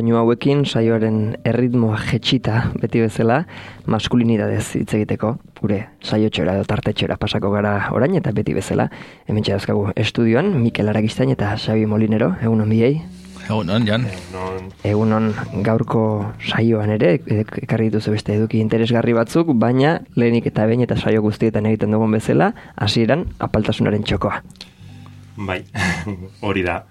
doinu hauekin saioaren erritmoa jetxita beti bezala maskulinidadez hitz egiteko gure saiotxora edo tartetxora pasako gara orain eta beti bezala hemen txarazkagu estudioan Mikel Aragistain eta Xabi Molinero, egunon biei. Egunon, Jan. Egunon gaurko saioan ere ekarri dituzu beste eduki interesgarri batzuk, baina lehenik eta behin eta saio guztietan egiten dugun bezala hasieran apaltasunaren txokoa. Bai, hori da.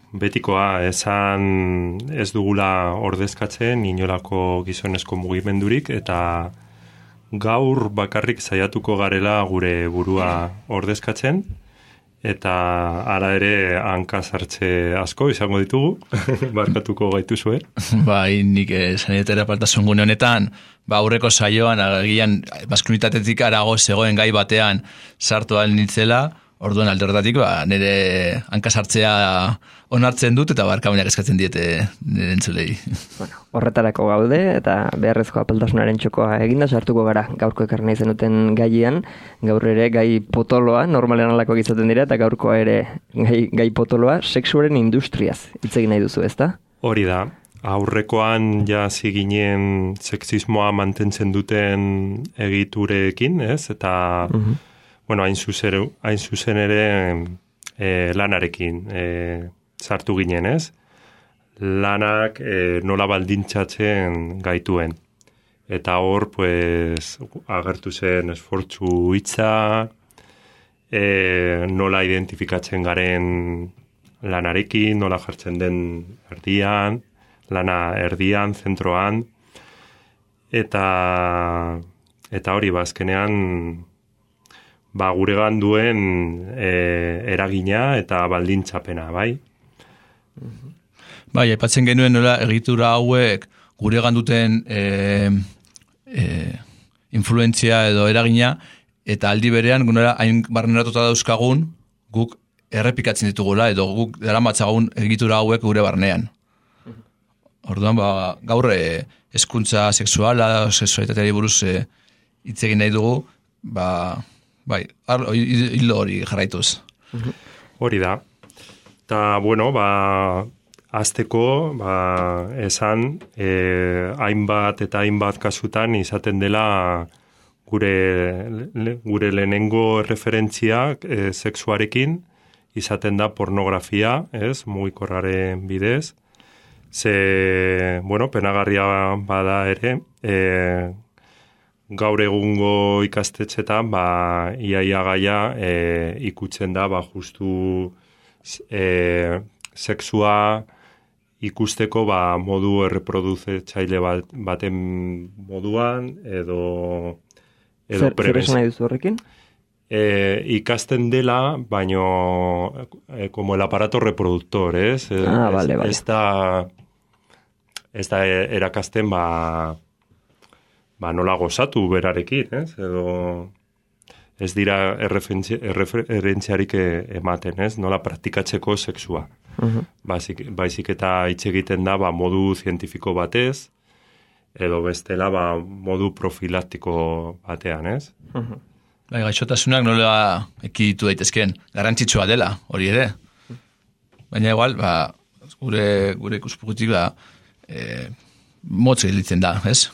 Betikoa esan ez dugula ordezkatzen inolako gizonezko mugimendurik eta gaur bakarrik saiatuko garela gure burua ordezkatzen eta ara ere hanka sartze asko izango ditugu, barkatuko gaituzue. Bai, nik sanitera apaltasun gune honetan, aurreko saioan agian maskulinitatetik arago zegoen gai batean sartu ahal nintzela. Orduan aldorretatik, nire hankasartzea onartzen dut eta barkamenak eskatzen diete nire entzulei. Bueno, horretarako gaude eta beharrezko apaltasunaren txokoa eginda sartuko gara gaurko ekarri nahi zenuten gaian. Gaur ere gai potoloa, normalean alakoak izaten dira, eta gaurkoa ere gai potoloa, sexuaren industriaz hitz egin nahi duzu, ezta? Hori da. Aurrekoan ja ziginen sexismoa mantentzen duten egiturekin, ez? Eta... Bueno, hain zuzen ere lanarekin sartu ginen, ez? Lanak nola baldintzatzen gaituen. Eta hor, pues, agertu zen esfortzu hitza, nola identifikatzen garen lanarekin, nola jartzen den erdian, lana erdian, zentroan, eta hori, azkenean, guregan duen eragina eta baldintzapena, bai? Bai, aipatzen genuen nola egitura hauek guregan duten influentzia edo eragina, eta aldi berean nola hain barneratuta dauzkagun guk errepikatzen ditugula edo guk daramatzagun egitura hauek gure barnean. Orduan, gaur hezkuntza sexuala, sexualitateari buruz hitz egin nahi dugu, bai, hildo hori jarraituz. Hori da. Eta, bueno, azteko, esan, hainbat eta hainbat kasutan izaten dela gure lehenengo referentzia sexuarekin, izaten da pornografia, ez, mugikorraren bidez. Bueno, penagarria bada ere, gaur egungo ikastetxetan, iaia gaia ikutzen da, justu sexua ikusteko modu erreproduzatzaile baten moduan, edo Zer esan nahi duzu horrekin? Ikasten dela, baino como el aparato reproductor, ez? Vale. Ez da erakasten, nola gozatu berarekin, ez? Edo ez dira errefentziarik ematen, ez? Nola praktikatzeko sexua. Baizik eta hitz egiten da modu zientifiko batez, edo bestela modu profilaktiko batean, ez? Bai, gaixotasunak nola ekiditu daitezkeen, garrantzitsua dela, hori ere. Baina igual, gure ikuspugutik motz gelditzen da, ez?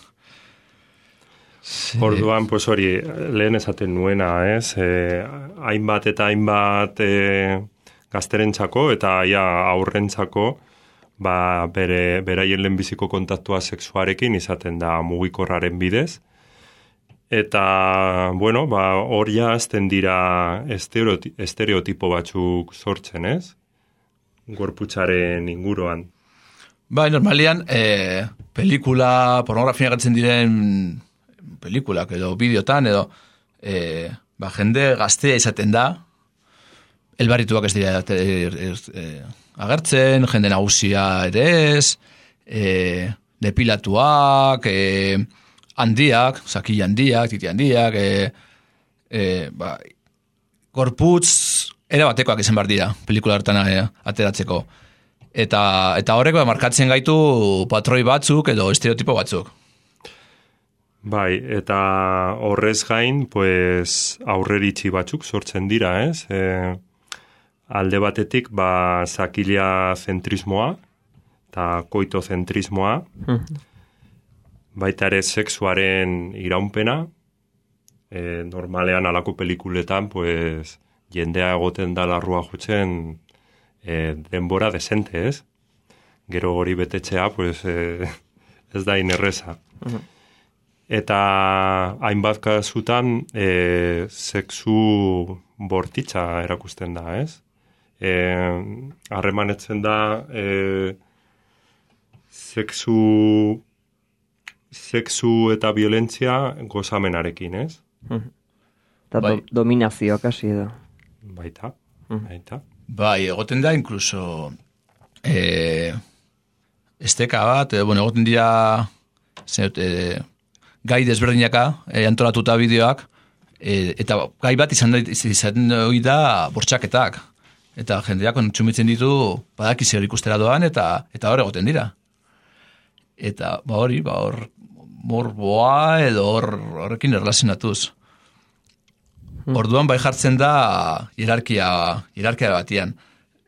Orduan, pues hori, lehen esaten nuena, ez? Hainbat eta hainbat gazterentzako eta aurrentzako beraien lehenbiziko kontaktua sexuarekin izaten da mugikorraren bidez. Eta, bueno, hori azten dira estereotipo batzuk sortzen, ez? Gorputzaren inguruan. Bai, normalian, pelikula, pornografia gartzen diren pelikulak edo bideotan, edo jende gaztea izaten da, elbarrituak ez dira agertzen, jende nagusia ere ez, depilatuak, handiak, sakila handiak, titi handiak, gorputz erabatekoak izan behar dira, pelikula hartan ateratzeko. Eta horrek markatzen gaitu patroi batzuk edo estereotipo batzuk. Bai, eta horrez gain, pues, aurreritzi batzuk sortzen dira, ez? Alde batetik, sakila zentrismoa, eta koitozentrismoa, baita ere sexuaren iraunpena, normalean alako pelikuletan, pues, jendea egoten da larrua jotzen denbora desente, ez? Gero hori betetzea, pues, ez da inerreza. Eta hainbat kasutan sexu bortitza erakusten da, ez? Harremanetzen da sexu eta violentzia gozamenarekin, ez? Eta dominazioa kasi edo. Baita. Bai, egoten da, inkluso esteka bat, egoten dira gai desberdinaka, antolatuta bideoak, eta gai bat izan da bortxaketak. Eta jendeak kontsumitzen ditu badaki zer ikustera doan, eta hor egoten dira. Eta hor morboa edo horrekin erlazionatuz. Orduan bai jartzen da hierarkia batian.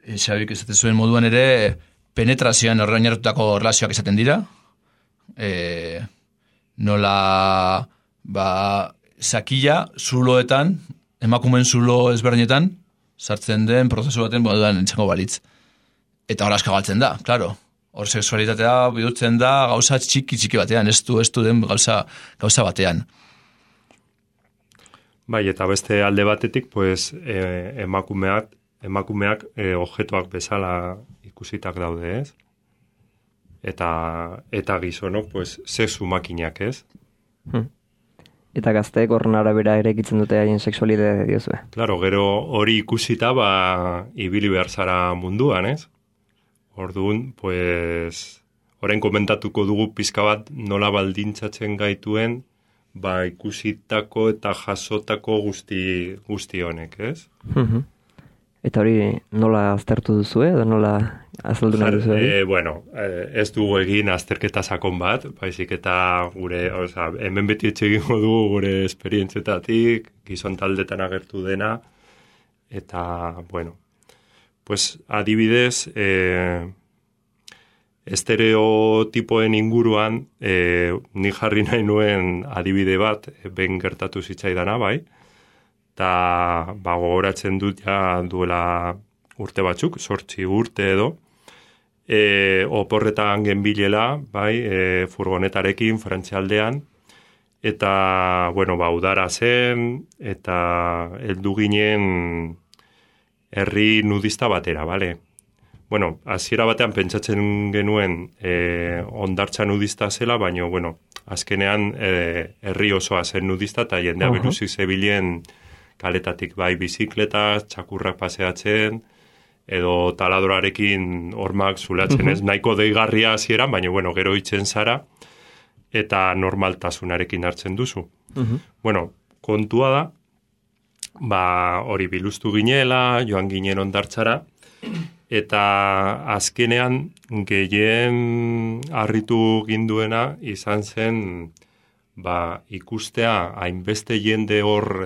Xabik ez zuen moduan ere penetrazioan oinarritutako erlazioak izaten dira. Nola sakila zuloetan, emakumeen zulo ezberdinetan, sartzen den prozesu baten moduan entzango balitz. Eta hor asko galtzen da, klaro. Hor sexualitatea bihurtzen da gauza txiki batean, ez du den gauza batean. Bai, eta beste alde batetik, pues, emakumeak objektuak bezala ikusitak daude, ez? Eta gizonok, pues, sexu makinak, ez? Eta gazteek horren arabera ere ekitzen dute haien sexualitatea diozue. Claro, gero hori ikusita, ibili behar zara munduan, ez? Orduan, pues, orain komentatuko dugu pizka bat nola baldintzatzen gaituen, ikusitako eta jasotako guzti honek, ez? Eta hori nola aztertu duzu, edo nola azaldu nahi duzu? Ez dugu egin azterketa sakon bat, baizik eta hemen beti etxe egingo dugu gure esperientzietatik, gizon taldetan agertu dena, eta, pues, adibidez, estereotipoen inguruan, ni jarri nahi nuen adibide bat, ben gertatu zitzaidana, bai, eta gogoratzen dut ja duela urte batzuk, 8 urte edo, oporretan genbilela, bai, furgonetarekin, Frantzialdean, eta, udara zen, eta heldu ginen herri nudista batera, bale? Hasiera batean pentsatzen genuen hondartza nudista zela, baina, azkenean herri osoa zen nudista, eta jendea biluzik zebilen kaletatik, bai, bizikleta, txakurrak paseatzen, edo taladorarekin hormak zulatzen, ez? Nahiko deigarria hasieran, baina, gero itzen zara, eta normaltasunarekin hartzen duzu. Kontua da, hori biluztu ginela, joan ginen hondartzara, eta azkenean gehien harritu ginduena izan zen ikustea hainbeste jende hor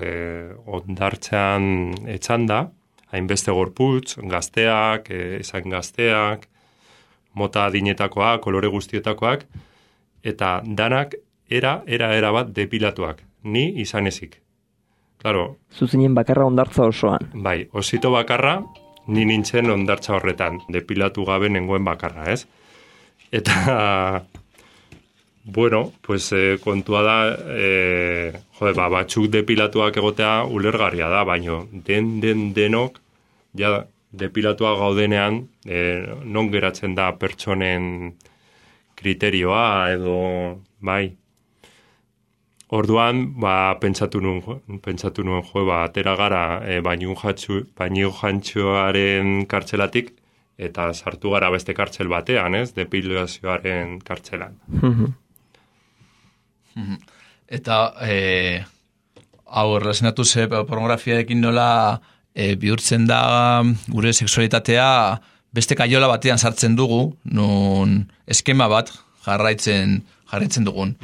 hondartzean etxan da, hainbeste gorputz, gazteak, mota adinetakoak, kolore guztietakoak, eta danak era bat depilatuak, ni izan ezik. Claro. Zuzinen bakarra hondartza osoan. Bai, osito bakarra, ni nintzen hondartza horretan, depilatu gabe nengoen bakarra, ez? Eta, pues kontua da, batzuk depilatuak egotea ulergarria da, baino denok, ja depilatuak gaudenean, non geratzen da pertsonen kriterioa, edo, bai. Orduan, pentsatu nuen, atera gara baino jantxoaren kartzelatik, eta sartu gara beste kartzel batean, ez? Depilazioaren kartzelan. Eta, hau erlazionatu ze pornografiarekin nola bihurtzen da gure sexualitatea beste kaiola batean sartzen dugu, non eskema bat jarraitzen dugun.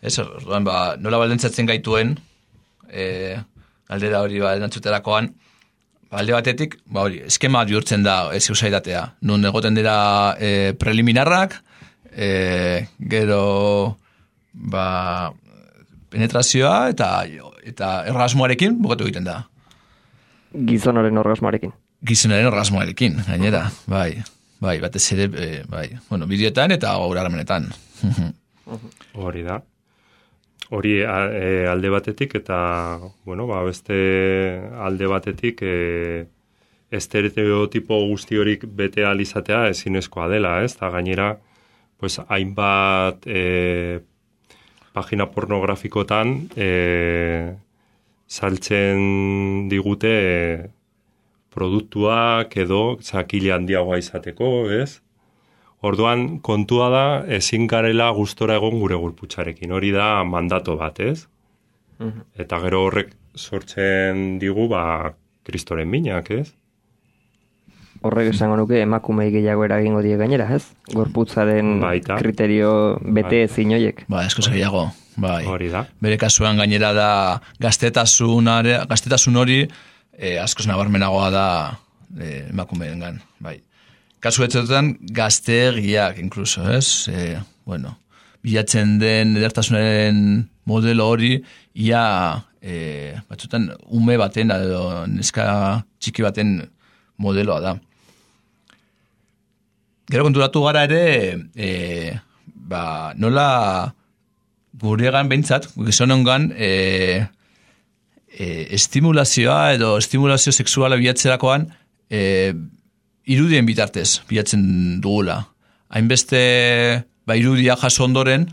Ez, nola baldintzatzen gaituen, galdera hori erantzuterakoan, alde batetik, hori, eskema bihurtzen da sexualitatea. Nun egoten dira preliminarrak, gero penetrazioa eta errasmoarekin bukatu egiten da. Gizonaren orgasmoarekin. Gizonaren orgasmoarekin, gainera, bai, batez ere, bideoetan eta gaur harremanetan. Hori da. Hori alde batetik eta, beste alde batetik estereotipo guzti horik bete alizatea ezinezkoa dela, ez? Eta gainera, pues, hainbat pagina pornografikotan saltzen digute produktuak edo zakile handiagoa izateko, ez? Orduan, kontua da, ezin garela gustora egon gure gorputzarekin. Hori da mandato bat, ez? Eta gero horrek sortzen digu, kristoren minak, ez? Horrek esango nuke emakumei gehiago eragingo die gainera, ez? Gorputzaren kriterio bete ezin hoiek. Eskoz gehiago, bai. Hori da. Bere kasuan gainera da gaztetasun hori askoz nabarmenagoa da emakumeengan, bai. Kasu etxetan gaztegiak, inkluso, ez? Bilatzen den edertasunaren modelo hori, ia batzutan ume baten, edo neska txiki baten modeloa da. Gero konturatu gara ere, nola guregan behintzat, gizonengan, estimulazioa edo estimulazio sexuala bilatzerakoan, irudien bitartez bilatzen dugula. Hainbeste irudia jaso ondoren,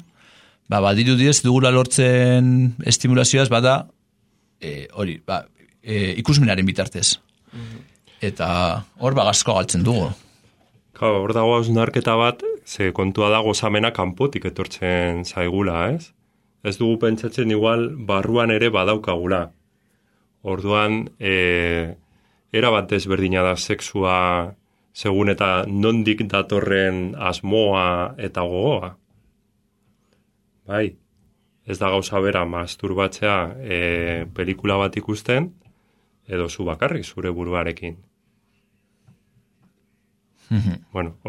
badirudiez dugula lortzen estimulazioaz bada ikusmenaren bitartez. Eta hor gazko galtzen dugu. Hor dago hausnarketa bat, ze kontua da gozamena kanpotik etortzen zaigula, ez? Ez dugu pentsatzen igual barruan ere badaukagula. Orduan, era bat ezberdina da sexua segun eta nondik datorren asmoa eta gogoa. Bai, ez da gauza bera masturbatzea pelikula bat ikusten, edo zu bakarrik zure buruarekin.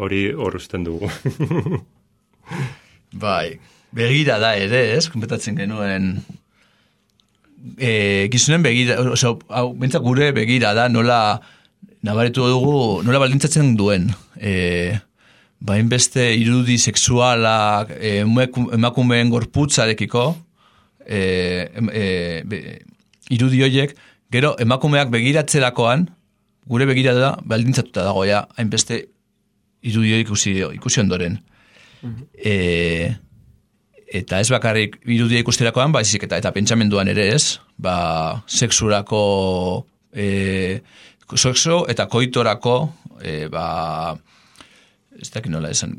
Hori hor usten dugu. Bai, begira da ere, ez? Konpetatzen genuen gizunen begira, bentzak gure begira da, nola nabaritu dugu, nola baldintzatzen duen. Hainbeste irudi sexualak emakumeen gorputzarekiko, irudi horiek, gero emakumeak begiratzerakoan, gure begirada baldintzatuta dagoia, hainbeste irudi horiek ikusi ondoren. Eta ez bakarrik irudia ikusterakoan, baizik eta pentsamenduan ere ez, sexurako, sexo eta koitorako, ez dakit nola esan,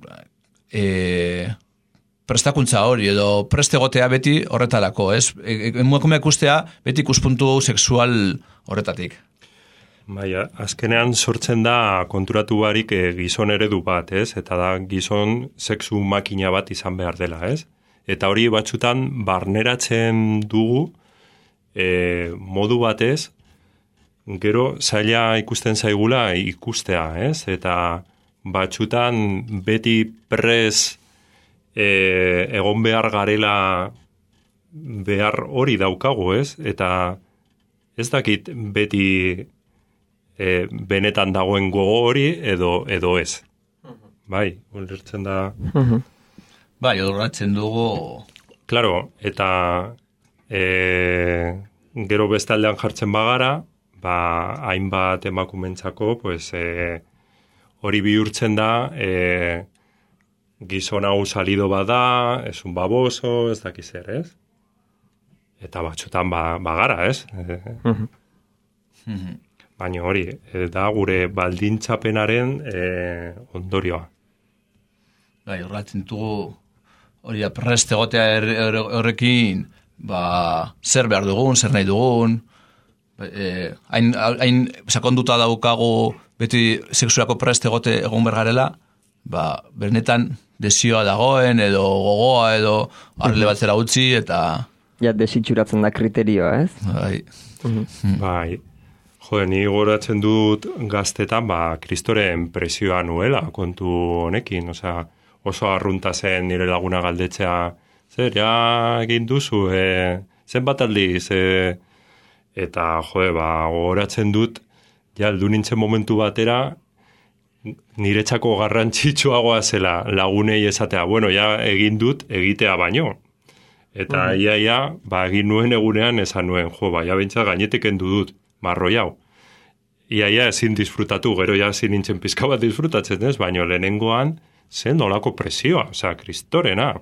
prestakuntza hori, edo prestegotea beti horretarako, ez? Emakumea ikustea beti ikuspuntu sexual horretatik. Baina, azkenean sortzen da konturatu barik gizon eredu bat, ez? Eta da gizon sexu makina bat izan behar dela, ez? Eta hori batzutan barneratzen dugu modu batez, gero zaila ikusten zaigula ikustea, ez? Eta batzutan beti prez egon behar garela behar hori daukagu, ez? Eta ez dakit beti benetan dagoen gogo hori edo ez. Bai, ulertzen da... Bai, odorratzen dugu... Claro, eta gero bestaldean jartzen bagara, hainbat emakumentzako, pues, hori bihurtzen da, gizon hau salido bada, es un baboso, ez dakiz zer, ez? Eta batzutan bagara, ez? Baina hori, da gure baldintzapenaren ondorioa. Bai, horretzen dugu, hori prest egotea horrekin, zer behar dugun, zer nahi dugun, hain sakonduta daukagu beti sexuako prest egote egon bergarela, bernetan desioa dagoen, edo gogoa, edo arle batzera utzi, eta... Ja, desitxuratzen da kriterioa, ez? Bai. Bai. Ni goratzen dut gaztetan, kristoren presioa nuela kontu honekin, oso arrunta zen nire laguna galdetzea, zer, egin duzu, zenbat aldiz, eta, goratzen dut, heldu nintzen momentu batera, niretzako garrantzitsuagoa zela lagunei esatea, egin dut, egitea baino. Eta egin nuen egunean esan nuen, bintza gainetik endu dut, marroi hau. Iaia ezin disfrutatu, gero ezin nintzen pizka bat disfrutatzen ez, baina lehenengoan zen nolako presioa, kristorena.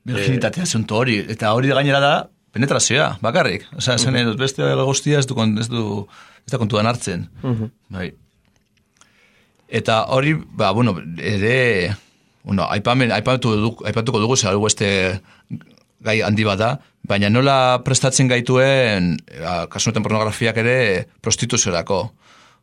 Virginitatea zuntu hori, eta hori gainera da penetrazioa, bakarrik. Zen edut, beste guztia ez da kontuan hartzen. Bai. Eta hori, ere, aipatuko dugu, zer beste gai handi bat da, baina nola prestatzen gaituen, kasunetan pornografiak ere, prostituziorako.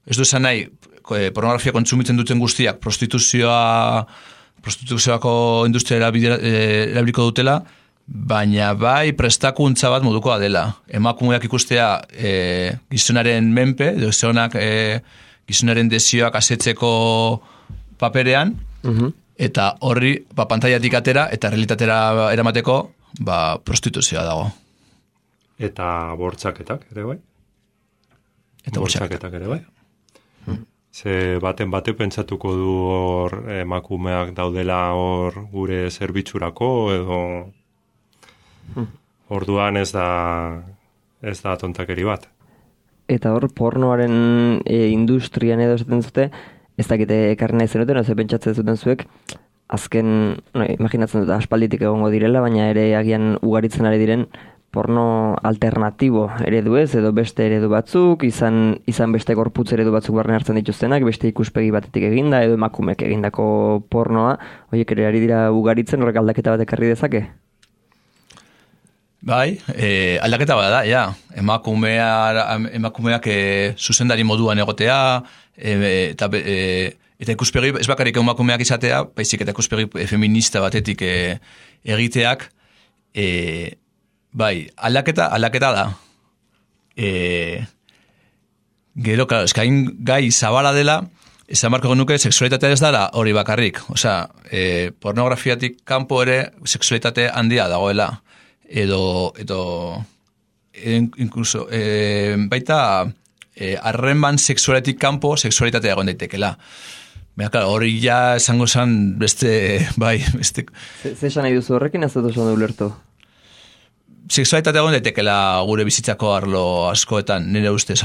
Ez du esan nahi, pornografia kontsumitzen duten guztiak, prostituzioako industria erabiliko dutela, baina bai prestakuntza bat modukoa dela. Emakumeak ikustea gizonaren menpe, edo gizonaren desioak asetzeko paperean, eta horri pantailatik atera eta realitatera eramateko prostituzioa dago. Eta bortxaketak ere bai? Eta bortxaketak ere bai? Ze baten bate pentsatuko du hor emakumeak daudela hor gure zerbitzurako edo orduan ez da tontakeri bat. Eta hor pornoaren industrian edo esaten zute, ez dakite ekarri nahi zenuten, ez pentsatzen zuten zuek, azken, imaginatzen dut, aspalditik egongo direla, baina ere agian ugaritzen ari diren porno alternatibo eredu ez, edo beste eredu batzuk, izan beste gorputz eredu batzuk barne hartzen dituztenak, beste ikuspegi batetik eginda, edo emakumek egindako pornoa, horiek ere ari dira ugaritzen, horrek aldaketa bat ekarri dezake? Bai, aldaketa bat da, ja. Emakumeak zuzendari moduan egotea, eta ikuspegi, ez bakarrik emakumeak izatea, baizik eta ikuspegi feminista batetik egiteak, bai, aldaketa da. Gero, claro, eskain gai zabala dela, esan marko genuke, sexualitatea ez dara hori bakarrik. Pornografiatik kanpo ere, sexualitate handia dagoela. Edo incluso baita harreman sexualetik kanpo sexualitatea egon daitekela. Baina, claro, hori ja esango zen beste, bai, beste... Zesan nahi duzu horrekin, ez dut oso du lertu? Sexualitatea egon daitekela gure bizitzako arlo askoetan, nire ustez,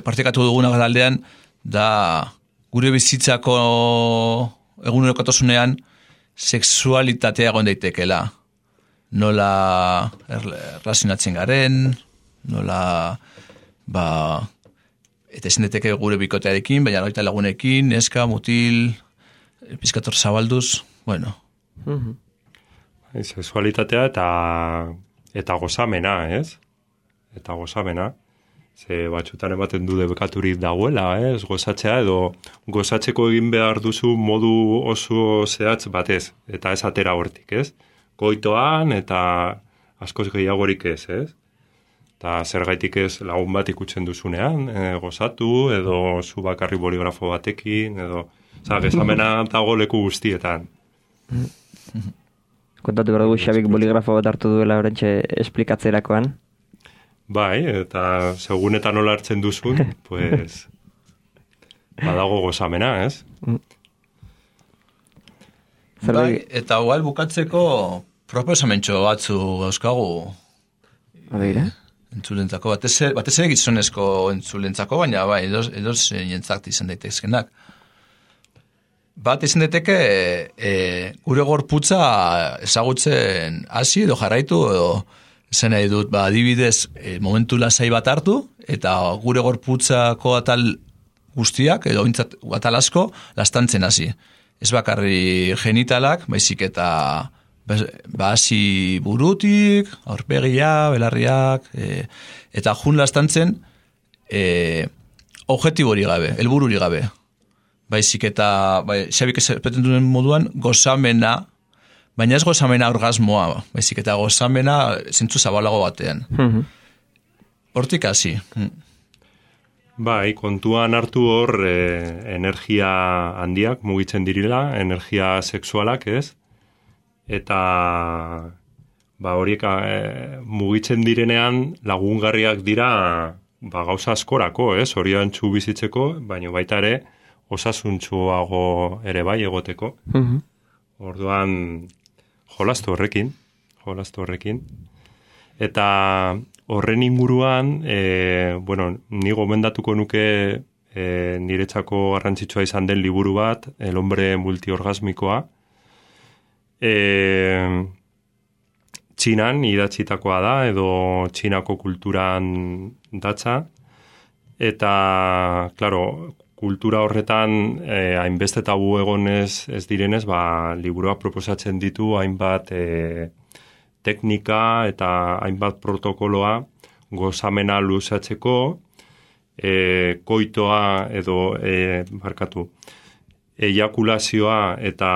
partekatu duguna aldean, da gure bizitzako egunerokotasunean sexualitatea egon daitekela. Nola erlazionatzen garen, nola, eta ezin daiteke gure bikotearekin, baina baita lagunekin, neska, mutil, pizkator zabalduz, bueno. Sexualitatea eta gozamena, ez? Eta gozamena. Ze batxutan ematen du debekaturik dagoela, ez? Gozatzea edo gozatzeko egin behar duzu modu oso zehatz batez, eta ez atera hortik, ez? Goitoan eta askoz gehiagorik ez, ez? Eta zergaitik ez lagun bat ikutzen duzunean, gozatu, edo zu bakarri boligrafo batekin, edo... Gezamena dago leku guztietan. Kontatu behar dugu Xabik boligrafo bat hartu duela horrentxe esplikatzerakoan. Bai, eta segun eta nola hartzen duzun, pues, badago gozamena, ez? Bai, eta igual bukatzeko proposamentxo batzu gauzkagu. Abeira? Entzulentzako, batez ere gizonezko entzulentzako, baina bai, edoz jentzakt izan daitezkenak. Bat izan daiteke gure gorputza ezagutzen hasi edo jarraitu edo zen nahi dut, adibidez, momentu lasai bat hartu, eta gure gorputzako atal guztiak, edo atal asko, lastantzen hasi. Ez bakarri genitalak, baizik eta hasi burutik, aurpegia, belarriak, eta jun lastantzen objektibori gabe, helbururi gabe. Baizik eta, Xabik ezpeten duen moduan, gozamena, baina ez gozamena orgasmoa, baizik eta gozamena zentzu zabalago batean. Hortik hasi. Bai, kontuan hartu hor energia handiak mugitzen direla, energia sexualak, ez? Eta horiek mugitzen direnean lagungarriak dira gauza askorako, ez? Horiantzu bizitzeko, baina baita ere osasuntsuago ere bai egoteko. Orduan jolastu horrekin. Eta horren inguruan, ni gomendatuko nuke niretzako garrantzitsua izan den liburu bat, El hombre multiorgasmikoa. Txinan idatzitakoa da, edo Txinako kulturan datza. Eta, klaro, kultura horretan hainbeste tabu egonez ez direnez, liburuak proposatzen ditu hainbat teknika eta hainbat protokoloa gozamena luzatzeko, koitoa edo eiakulazioa eta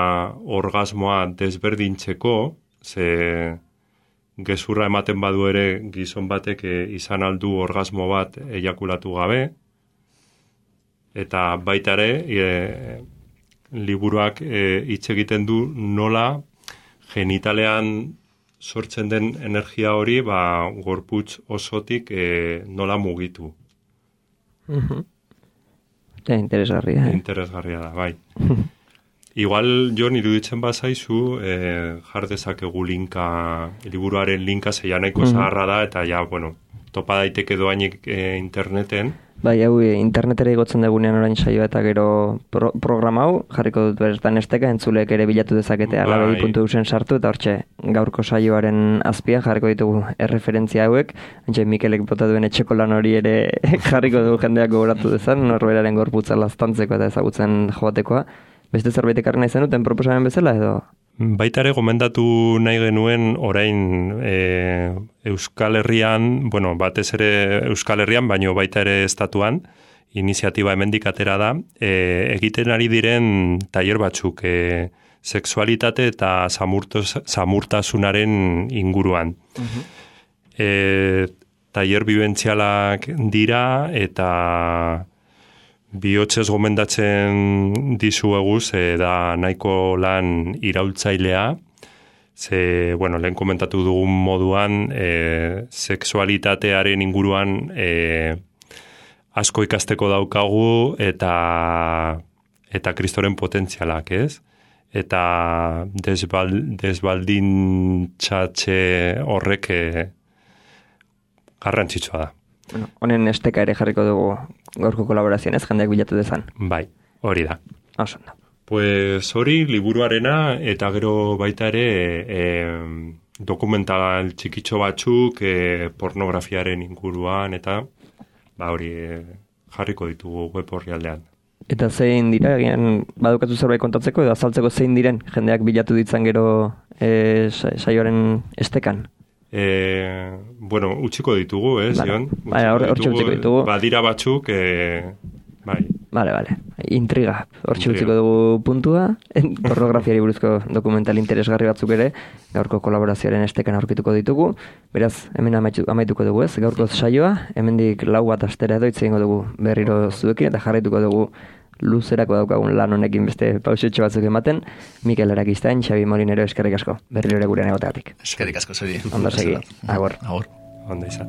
orgasmoa desberdintzeko, ze gezurra ematen badu ere gizon batek izan aldu orgasmo bat eiakulatu gabe, eta baita ere liburuak hitz egiten du nola genitalean sortzen den energia hori gorputz osotik nola mugitu. Interesgarria. Interesgarria da, bai. Igual, Jon, iruditzen bazaizu, jar dezakegu liburuaren linka zeian nahiko zaharra da, eta topa daiteke doainik interneten. Bai, hau internetera igotzen dugunean orain saioa eta gero programa hau, jarriko dut bertan esteka, entzulek ere bilatu dezakete, alabedi.eusen sartu, eta hortxe gaurko saioaren azpian jarriko ditugu erreferentzia hauek, entxe Mikelek bota duen etxeko lan hori ere jarriko dugu jendeak gogoratu dezan, norberaren gorputza laztantzeko eta ezagutzen joatekoa. Beste zerbait ekarri nahi zenuten proposamen bezala edo? Baita ere gomendatu nahi genuen orain Euskal Herrian, batez ere Euskal Herrian, baino baita ere estatuan, iniziatiba hemendik atera da, egiten ari diren tailer batzuk, sexualitate eta samurtasunaren inguruan. Tailer bibentzialak dira eta bihotzez gomendatzen dizueguz, da nahiko lan iraultzailea, ze, lehen komentatu dugun moduan, sexualitatearen inguruan asko ikasteko daukagu eta kristoren potentzialak, ez? Eta desbaldintzatxe horrek garrantzitsua da. Honen esteka ere jarriko dugu gaurko kolaborazioan, ez jendeak bilatu dezan. Bai, hori da. Osondo. Pues hori liburuarena eta gero baita ere dokumental txikitxo batzuk pornografiaren inguruan eta hori jarriko ditugu web orrialdean. Eta zein dira, egian badukatu zerbait kontatzeko edo azaltzeko zein diren jendeak bilatu ditzan gero saioaren estekan? Utziko ditugu, Zion? Hortxe utziko ditugu. Badira batzuk, bai. Bale. Intriga. Hortxe utziko dugu puntua. Pornografiari buruzko dokumental interesgarri batzuk ere, gaurko kolaborazioaren estekan aurkituko ditugu. Beraz, hemen amaituko dugu, ez? Gaurko saioa, hemendik 4 bat astera edo itzengo dugu berriro zuekin, eta jarraituko dugu luzerako daukagun lan honekin beste pausetxo batzuk ematen. Mikel Arakistain, Xabi Molinero, eskerrik asko. Berriro ere gurean egoteatik. Eskerrik asko, Xabi. Ondo segi. Agor. Ondo izan.